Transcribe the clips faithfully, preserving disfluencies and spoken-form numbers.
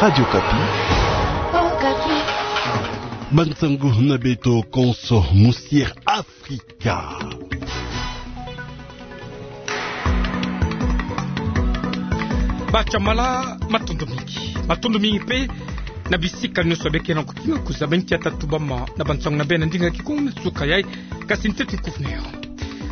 Radio Okapi. Bansangu na beto konso mu Sir Afrika. Batsamala, matondo mingi. Matondo mingi mpe na bisika nyonso beke na kukinga kuzaba nkia ta tubama na bansangu na beno na ndinga Kikongo na suka yai, kasi ntete kuvun'eyo.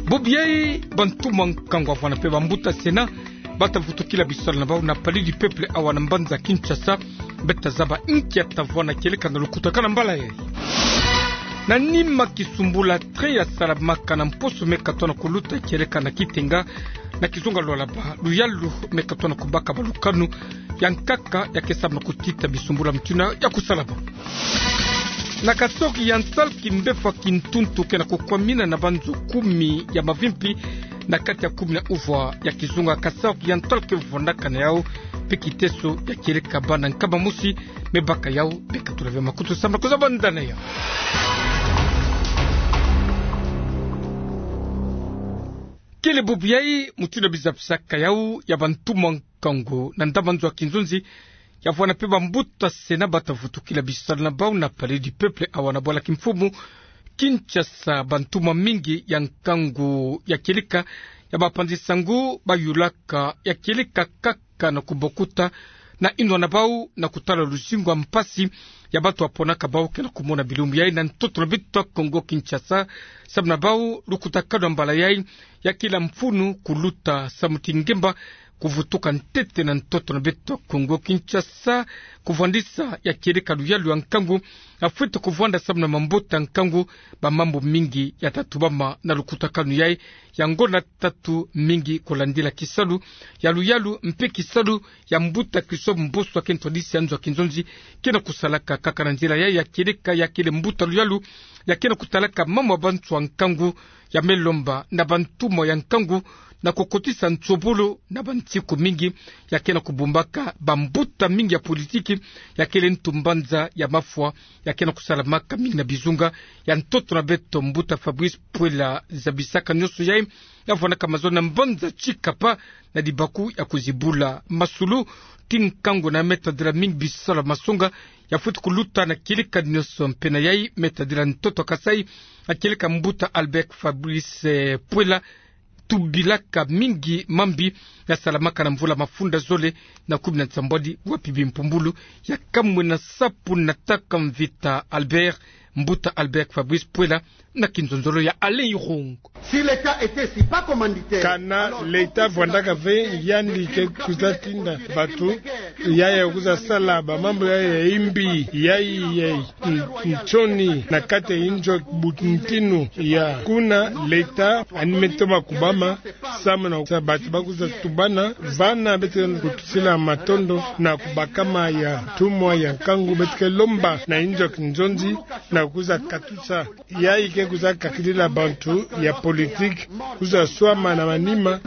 Bubu yai, bantu ba nkangu avwanda mpe bambuta Sénat bata vutukila bisalu na bau na Palais du Peuple awa na mbanza Kinshasa, beto ta zaba nkia ta vwanda kieleka na lukutakanu na mbala yai. Na nima kisumbula train yasalamaka na mposo me katoa na kuluta kieleka na Kitenga, na kizunga Lualaba, luyalu me katoa na kubaka balukanu ya nkaka ya ke samu na kutita bisumbula mutindu ya kusalama. Na kasoki ya nsalki mbefwa kintuntu ke na kukwamina na banzo kumi ya mavimpi na kati ya kumi na uvwa ya kizunga Kasaï Oriental ke vwandaka na yau, mpe kiteso ya kieleka bana nkama mosi me baka yau. Beka tula ve makutu samu na kuzaba nda na yau. Kele bubu yai, mutindu bizapisaka yau, ya bantu ba nkangu na ndambu nzo ya kinzonzi, ya vwanda mpe bambuta Sénat bata vutukila bisalu na bau na Palais du Peuple awa na bwala kimfumu Kinshasa. Bantu ba mingi ya nkangu ya kieleka ya bapanzi-nsangu bayulaka ya kieleka kaka na kubokuta na inwa na bau na kutala luzingu ya mpasi ya bantu baponaka bau ke na kumona bilumbu yai na ntoto na beto Kongo Kinshasa. Samu na bau, lukutakanu ya mbala yai ya kila mfunu kuluta samu ti ngemba kuvutuka ntete na ntoto na beto Kongo Kinshasa, kuvwandisa ya kieleka luyalu ya nkangu, afwete kuvwanda samu na mabota nkangu, bamambu mingi yata tubama na lukutakanu yai. Yango na tatu mingi kulandila kisalu ya luyalu mpe kisalu ya mbuta Christophe Mboso ke ntwadisi ya nzo ya kinzonzi, ke na kusalaka kaka na nzila yai ya kieleka ya kele mbuta luyalu, ya ke na kutalaka mambu ya bantu ya nkangu, ya me lomba na bantu ba ya nkangu na kukotisa nsobolo na bansiku mingi, ya ke na kubumbaka bambuta mingi ya politiki, ya kele ntu mbanza ya mafwa, ya ke na kusalamaka mingi na bizunga ya ntoto na beto. Mbuta Fabrice Puela zabisaka nyonso yai, ya vwandaka mazono na mbanza Tshikapa na libaku ya kuzibula masulu ti nkangu na me tadila mingi bisalu ya masonga ya fwete kuluta na kieleka nyonso. Mpe na yai me tadila ntoto ya Kasaï, ya kieleka mbuta Albert Fabrice, eh, Puela tubilaka mingi mambi ya salamaka na mvula mafunda zole na kumi na nsambwadi, wapi bimpumbulu ya kamwena sapu na tata Mvita Albert, mbuta Albert Fabrice Puela, na kinzonzolo ya Alain Irung. Si l'État était si pas commanditaire, kana alors, leta vwandaka ve, yandi ke kuza tinda bantu, yaya kuza sala bamambu yaya ya imbi, yai, yai, n-, nsoni na kati ya inzo ya buntinu ya kuna, leta ani me toma kubama samu na sa bantu ba kuza tubana. Vana beto ke kutusila matondo na kubakama ya ntumwa ya nkangu, beto ke lomba na inzo ya kinzonzi na kuza katusa yai ke kuza kakilila bantu ya politiki kuza swama na manima.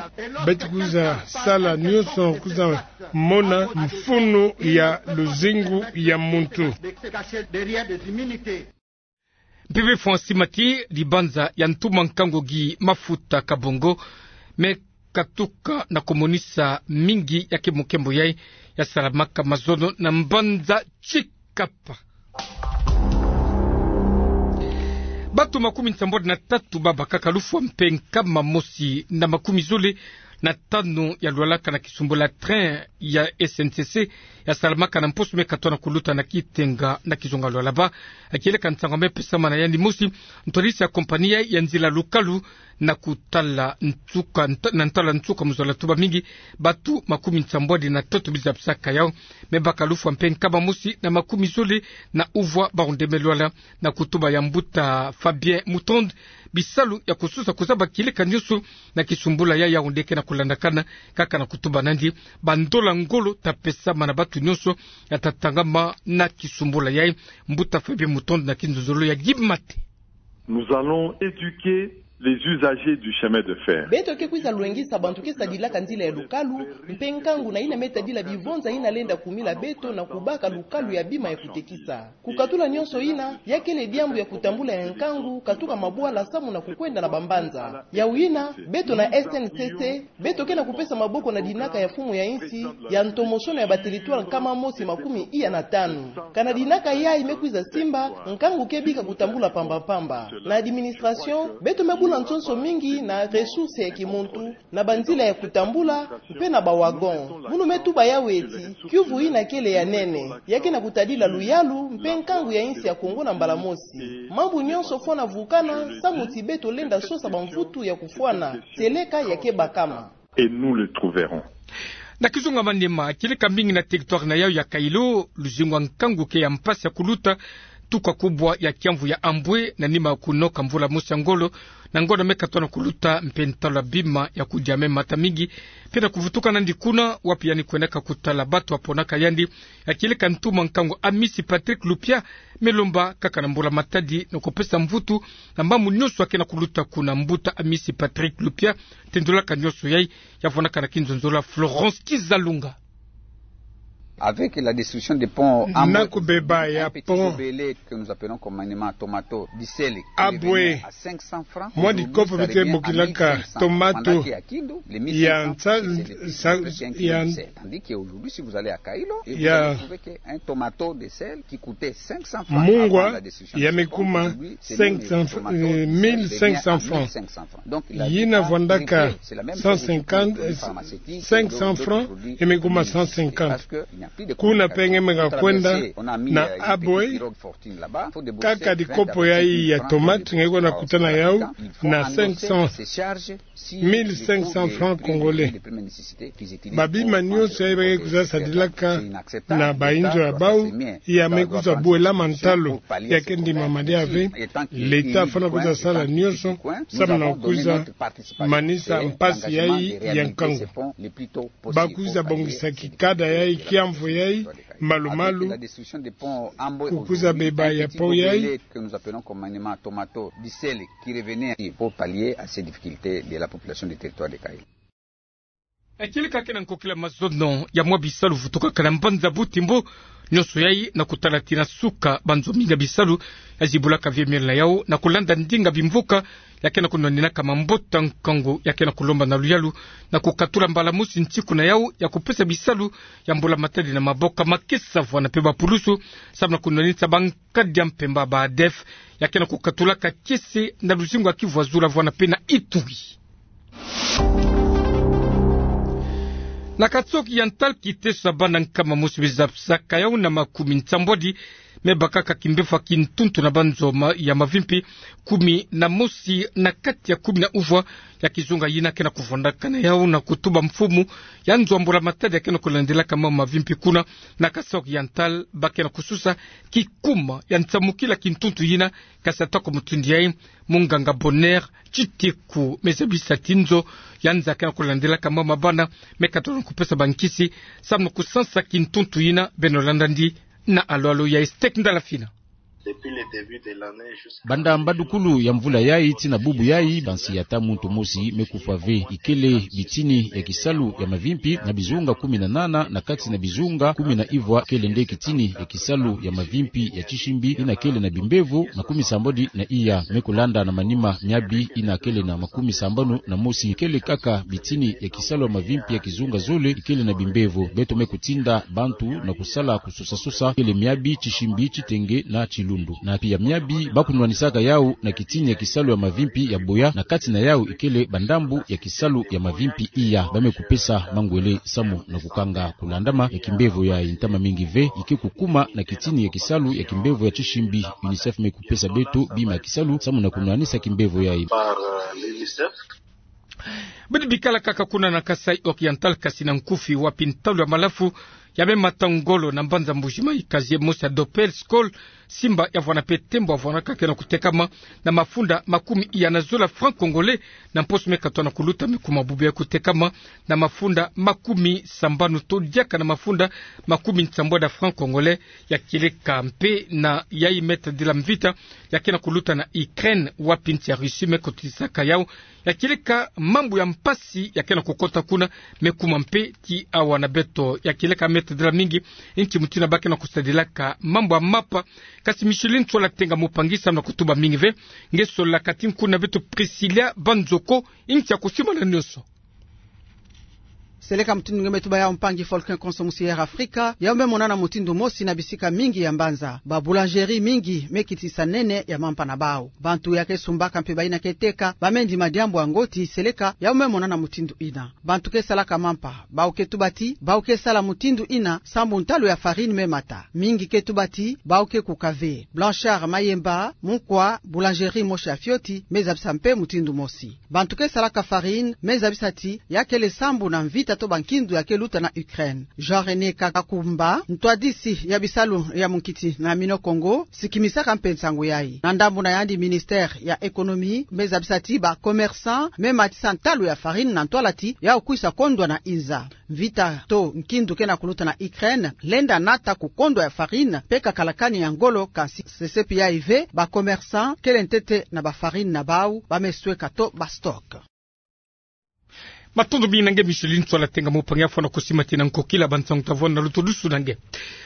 Beto kuza sala nyonso kuza mona mfunu ya luzingu ya muntu. Mpipi Francis Mati, libanza ya ntumwa nkangu Guy Mafuta Kabongo, me katuka na kumonisa mingi ya nkembo-nkembo yai ya salamaka mazono na mbanza Tshikapa. Bantu makumi nsambwadi na tatu ba bakaka lufwa mpe nkama mosi na makumi zole na tanu ya lwalaka na kisumbula train ya S N C C ya salamaka na mposo me katoa na kuluta na Kitenga na kizunga Lualaba. Kieleka nsangu me pesama na yandi mosi ntwadisi ya compagnie ya nzila Lukalu na kutala nsuka, nta-, na ntala nsuka mu zola tuba mingi, bantu makumi nsambwadi na tatu biza bisaka yau me baka lufwa mpe nkama mosi na makumi zole na uvwa bawu nde me lwala, na kutuba ya mbuta Fabien Moutonde, bisalu ya kusosa kuzaba kieleka nyonso na kisumbula ya yau nde ke na kulandakana, kaka na kutuba nandi bandola ngolo ta pesama na bantu nyonso ya ta tangama na kisumbula yai. Mbuta Fabien Moutonde na kinzonzolo ya Guy Mate. Nous allons éduquer Les usagers du chemin de fer. Beto ke kwiza lwengisa bantu ke sadilaka nzila ya lukalu, mpe nkangu na yina me tadila bivonza yina lenda kumila beto na kubaka lukalu ya bima ya kutekisa. Kukatula nyonso yina, ya kele diambu ya kutambula ya nkangu, katuka mabwala samu na kukwenda na bambanza. Yawu yina, beto na S N C C, beto ke na kupesa maboko na dinaka ya mfumu ya insi, ya ntomosono ya ba territoire nkama mosi makumi iya na tanu. Kana dinaka yayi me kwiza simba, nkangu ke bika kutambula pamba-pamba. Na administration, beto me bula nsonso mingi na ressources ya kimuntu, na banzila ya kutambula, mpe na ba wagon. Munu me tuba yawu ti, kiuvu yina kele ya nene, ya ke na kutadila luyalu, mpe nkangu ya insi ya Kongo na mbala mosi. Mambu nyonso fwana vukana, samu ti beto lenda sosa bamvutu ya kufwana, seleka ya ke bakama. Et nous le trouverons. Na kizunga manima, kieleka mingi na territoire na yawu ya Kailo, luzingu wa nkangu ke ya mpasi ya kuluta, tuka kubwa ya kiamvu ya Ambwe, na nima kunoka mvula mosi ya ngolo, na ngolo me katona kuluta mpe ntalu ya bima ya kudia me mata mingi, mpe na kuvutuka nandi kuna, wapi yandi kwendaka kutala bato waponaka yandi, ya kieleka ntumwa nkangu Amisi Patrick Lupia, me lomba kaka na mbula matadi na kupesa mvutu, na mambu nyonso ya ke na kuluta kuna. Mbuta Amisi Patrick Lupia, tendulaka nyonso yayi, ya vwandaka na kinzonzolo ya Florence Kizalunga. Avec la destruction des ponts, na kubeba ya pont Abwe, mwa dikopo bete bokilaka tomato ya nsa-, sa-, ya, ya mungwa, ya me kuma cinq cents, euh, mille cinq cents francs. Yina vwandaka cent cinquante, cinq cents francs, ya me kuma cent cinquante. Kuna mpe nge me ka kwenda na Abwe, kaka dikopo yayi ya tomate nge kwenda kutana yawu na cinq cents, mille cinq cents francs congolais. Babima nyonso yayi ba ke kwiza sadilaka na bayinzo ya bawu, ya me kwiza bwelama ntalu, ya ke ndimama diaka ve. L'État fwana kwiza sala nyonso samu na kwiza manisa mpasi yayi ya nkangu. Ba kwiza bongisa kikada yayi, kiamvu yayi, malu-malu, ku kwiza beba ya pont yayi. Ya kieleka ke na nkokila mazono ya mwa bisalu vutukaka na mbanza Butimbo, nyonso yayi na kutala tina suka, banzo mingi ya bisalu ya zibulaka ve miel na yawu, na kulanda ndinga bimvuka ya ke na kunwaninaka mabota. Nkangu ya ke na kulomba na luyalu na kukatula mbala mosi nsiku na yawu ya kupesa bisalu ya mbula matadi na maboko makesa vwana mpe bapulusu, samu na kunwanisa bankadi ya mpemba ba ADF, ya ke na kukatulaka kiese na luzingu ya Kivu ya zula vwana mpe na Ituri. Na Kasaï-Oriental, kiteso ya bana nkama mosi me zabisaka yawu na makumi nsambwadi me bakaka kimbevo ya kintuntu na banzo ma-, ya mavimpi kumi na mosi na kati ya kumi na uvwa ya kizunga yina ke na kuvwandaka na yawu na kutuba mfumu ya nzo ya mbula matadi ya ke na kulandelaka mambu mavimpi kuna na Kasaï-Oriental, ba ke na kususa kikuma ya nsamukila kintuntu yina, kasi ata kwa mutindu yayi, munganga Bonheur Tshiteku me zabisa ti nzo ya nza ke na kulandelaka mambu ma bana me katona kupesa bankisi samu na kusansa kintuntu yina. Beno landa ndi na alo-alo ya Estec Ndala Fina. Banda mbadukulu ya mvula yayi tii na bubu yayi, bansi ya ata muntu mosi me kufwa ve. Ikele bitini ya kisalu ya mavimpi na bizunga kumi na nana, na kati na bizunga kumi na ivwa kele nde kitini ya kisalu ya mavimpi ya tisimbi yina kele na bimbevo makumi sambwadi na iya. Me kulanda na manima miabi yina kele na makumi sambanu na mosi, kele kaka bitini ya kisalu ya mavimpi ya kizunga zole ikele na bimbevo. Beto me kutinda bantu na kusala kusosa-sosa kele miabi, tisimbi, titenge na tilundu. Na pia miabi ba kunwanisaka yawu na kitini ya kisalu ya mavimpi ya boya, na kati na yawu ikele bandambu ya kisalu ya mavimpi iya. Ba me kupesa mangwele samu na kukanga kulandama ya kimbevo yayi. Ntama mingi ve ike kukuma na kitini ya kisalu ya kimbevo ya tisimbi. UNICEF me kupesa beto bima ya kisalu samu na kunwanisa kimbevo yayi. Bidi bikala kaka kuna na Kasaï-Oriental, kasi na nkufi, wapi ntalu ya malafu ya me mata ngolo na mbanza Mbuji-Mayi, casier mosi ya Dopel Skol Simba ya vwana mpe Tembo ya vwana ka ke na kutekama na mafunda makumi iya na zole ya francs congolais, na mposo me katoa na kuluta me kuma bubu ya kutekama na mafunda makumi sambanu to diaka na mafunda makumi nsambwadi ya francs congolais. Ya kieleka mpe na yayi Me Tadila Mvita ya ke na kuluta na Ukraine, wapi nsi ya Russie me kotisaka yau. Ya kieleka mambu ya mpasi ya ke na kukota kuna me kuma mpe ti awa na beto. Ya kieleka Me Tadila mingi nsi mutindu ba ke na kusadilaka mambu ya mapa. Kasi Micheline Ntsola Tenga Mupangi samu na kutuba mingi ve, nge sololaka ti nkuna beto Priscilla Banzoko, nsi ya kusimana nionso. Seleka mutindu nge me tuba yau, mpangi Faulkon, konso musi ya Air Afrika yau me monana mutindu mosi na bisika mingi ya mbanza. Ba boulangerie mingi me kitisa nene ya mampa na bau. Bantu ya ke sumbaka mpe bayina ke teka ba me ndima diambu ya ngoti seleka yau me monana mutindu ina. Bantu ke salaka mampa, bau ke tuba ti bau ke sala mutindu ina sambu ntalu ya farine me mata. Mingi ke tuba ti bau ke kuka ve. Blanchard Mayemba, mukwa boulangerie mosi ya fioti, me zabisa mpe mutindu mosi. Bantu ke salaka farine me zabisa ti ya kele sambu na mvita to bankindu ya ke luta na Ukraine. Jean René Kakakumba, ntwadisi ya bisalu ya munkiti na Mino Kongo, sikimisaka mpe nsangu yayi. Na ndambu na yandi, ministère ya économie me zabisa ti ba commerçants me matisa ntalu ya farine na ntwala ti yau kwisa kondwa na inza. Mvita to nkindu ke na kuluta na Ukraine lenda nata kukondwa ya farine mpe kakalakani ya ngolo, kansi sesepi yayi ve ba commerçants kele ntete na ba farine na bau ba me sweka to ba stock. Matondo mingi na nge Micheline Ntsola Tenga Mupangi ya fwana kusimatila nkokila bansangu ta vwanda na lutodusu na nge.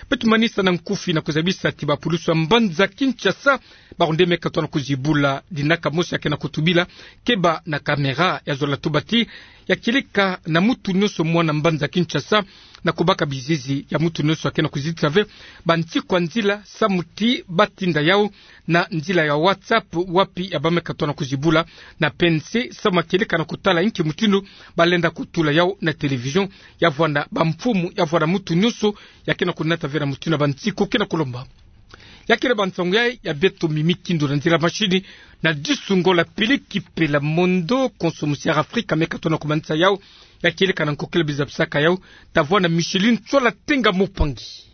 Beto manisa na nkufi na kuzabisa ti ba pulusu ya mbanza Kinshasa baronde me katoa na kuzibula dinaka mosi ya ke na kutubila keba na caméra. Ya zola tuba ti ya kieleka na mutu nionso mwana mbanza Kinshasa na kubaka bizizi ya mutu nionso ya ke na kuzitisa ve bantikwa nzila samu ti ba tinda yau na nzila ya WhatsApp, wapi ya ba me katoa na kuzibula na pense samu ya kieleka na kutala inki mutindu ba lenda kutula yau na télévision. Ya vwanda bamfumu, ya vwanda mutu nionso ya ke na kunata ve na mutindu ya bansiku ke na kulomba. Ya kele bansangu yayi ya beto mimi kindu na nzila machini na disungo la pili kipe la mondo, konso musi ya Air Afrika me katoa na kumanisa yau. Ya kieleka na nkokila bizabisaka yau ta vwanda Micheline Ntsola Tenga Mupangi.